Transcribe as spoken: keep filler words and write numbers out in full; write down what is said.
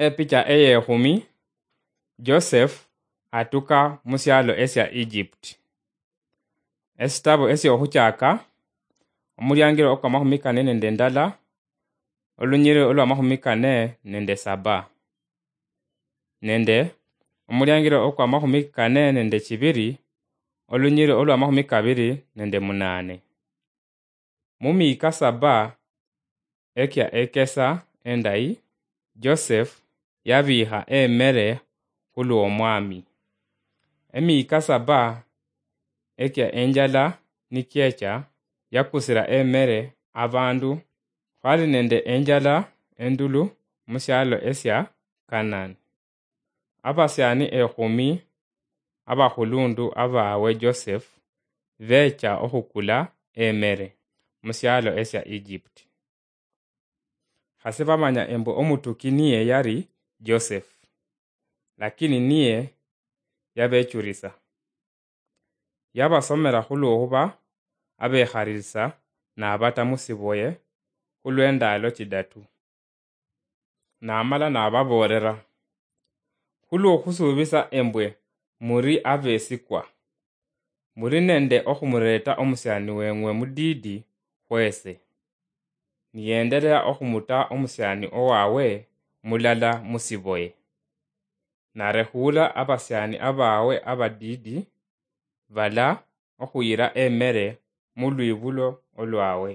Epicha eyekhumi, Joseph atuka musialo esia Egypt. Esitabo esiohuchaka, omuliangiro okwa mahumi kane nende ndala, olunyiriri olwa mahumi kane nende saba, nende omuliangiro okwa mahumi kane nende chibiri, olunyiriri olwa mahumi kabiri nende munane. Mu miika saba ekia ekesa endayi, Joseph yabiiha emere hulw'Omwami. Emiika saba ekia enjala nikiecha, yakusira emere abandu. Hwali nende enjala endulu mu sialo esia Kanani. Abasiani ehumi abahulundu abawe Joseph becha ohukula emere mu sialo esia Egypt. Hasi bamanya embwe omutuki niye yari Joseph, lakini niye yabechurisa. Yabasomera hulwohuba abeharisa nabata musiboye hulw'endalo chidatu. Namala nababoolera, "Hulw'ohusuubisa embwe muri abeesikwa, muri nende ohumureeta omusiani weeng'we mudiidi hweese, niyendereha ohumuta omusiani owawe mulala musiboye. Narehuula abasiani abawe abadiidi bala ohuyira emere mu lwiibulo olwawe."